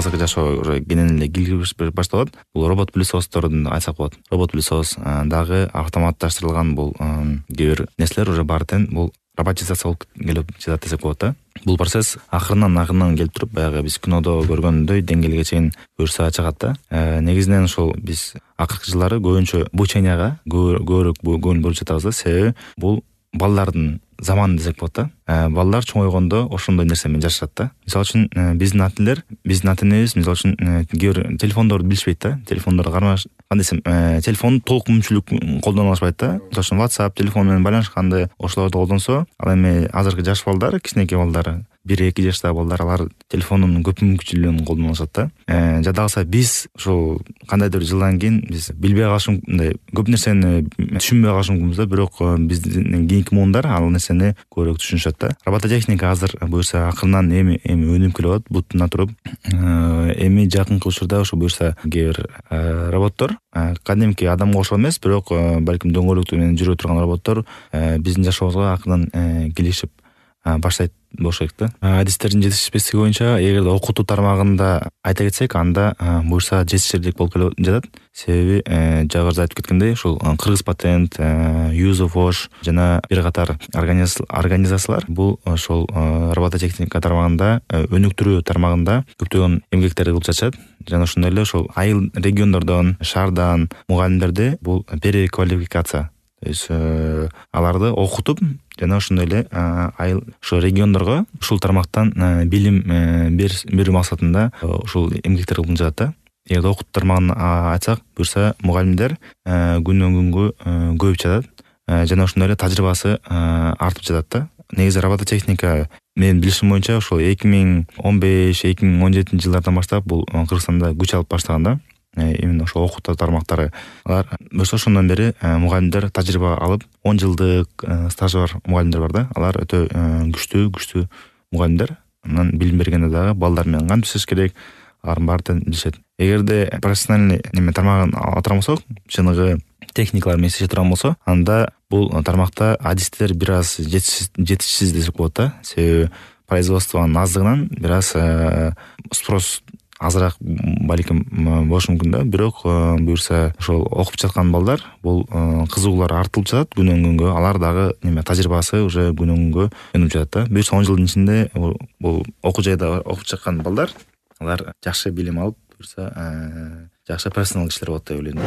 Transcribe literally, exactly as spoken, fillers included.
азыркы жашоо уже кенен эле киргиз башталат. Бул робот пылесостордун айтсак болот. Робот пылесос дагы автоматташтырылган бул кээ бир нерселер уже баары тең бул роботизация болуп келип жатат десек болот да. Бул процесс акырынан акырынан келип туруп, баягы биз кинодо көргөндөй деңгээлге чейин буюрса чыгат да. Негизинен ошол биз акыркы жылдары көбүнчө обученияга көбүрөөк көңүл буруп жатабыз да. Себеби бул балдардын заманы десек болот да. Балдар чоңойгондо ошондой нерсе менен жашашат да. Мисалы үчүн биздин ата энелер, биздин ата энебиз мисалы үчүн кээ бир телефондорду билишпейт да. Телефондорду кармаш, кандай десем, телефонду толук мүмкүнчүлүк колдоно алышпайт да. Мисалы үчүн WhatsApp телефон менен байланышканды ошолорду колдонсо, ал эми азыркы жаш балдар, кичинекей балдар, бир эки жаштагы балдар алар телефондун көп мүмкүнчүлүгүн колдоно алышат да. Жада калса биз ошол кандайдыр жылдан кийин биз билбей калышым, мындай көп нерсени түшүнбөй калышыбыз да, бирок биздин кийинки муундар ал нерсени көбүрөөк түшүнүшөт да. Робототехника азыр буюрса акырынан эми эми өнүгүп келип атат, бутуна туруп. Эми жакынкы учурда ошо буюрса кээ бир роботтор кадимки адамга окшоп эмес, бирок балким дөңгөлөктүү менен жүрө турган роботтор биздин жашообузга акырдан келишип баштайт болуш керек да. Адистердин жетишпестиги боюнча эгерде окутуу тармагында айта кетсек, анда буюрса жетишсиздик болуп келип жатат. Себеби жогоруда айтып кеткендей, ушул Кыргыз патент, Юзофош жана бир катар организациялар бул ошол робототехника тармагында, өнүктүрүү тармагында көптөгөн эмгектерди кылып жатышат. Жана ошондой эле ошол айыл региондордон, шаардан мугалимдерди бул переквалификация, то есть аларды окутуп жана ошондой эле айыл ошо региондорго ушул тармактан билим берүү максатында ушул эмгектер кылып жатат да. Эгерде окутуу тармагын айтсак, буюрса мугалимдер күнөн күнгө көбөйүп жатат жана ошондой эле тажрыйбасы артып жатат да. Негизи робототехника менин билишим боюнча ошол эки миң он беш эки миң он жетинчи жылдардан баштап бул Кыргызстанда күч алып баштаган да. Именно ошол окутуу тармактары алар болсо ошондон бери мугалимдер тажрыйба алып, он жылдык стажы бар мугалимдер бар да. Алар өтө күчтүү күчтүү мугалимдер. Анан билим бергенде дагы балдар менен кантип иштеш керек, алардын баарын билишет. Эгерде профессиональный неме тармагын ала турган болсок, чыныгы техникалар менен иштеше турган болсо, анда бул тармакта адистер бир аз жетишсиз десек болот да. Себеби производствонун аздыгынан бир аз спрос азыраак балким болушу мүмкүн да. Бирок буюрса ошол окуп жаткан балдар бул кызыгуулары артылып жатат күнөн күнгө. Алар дагы неме тажрыйбасы уже күнөн күнгө өнүгүп жатат да. Буюрса он жылдын ичинде бул окуу жайда окуп чыккан балдар алар жакшы билим алып, буюрса жакшы профессионал кишилер болот деп ойлойм.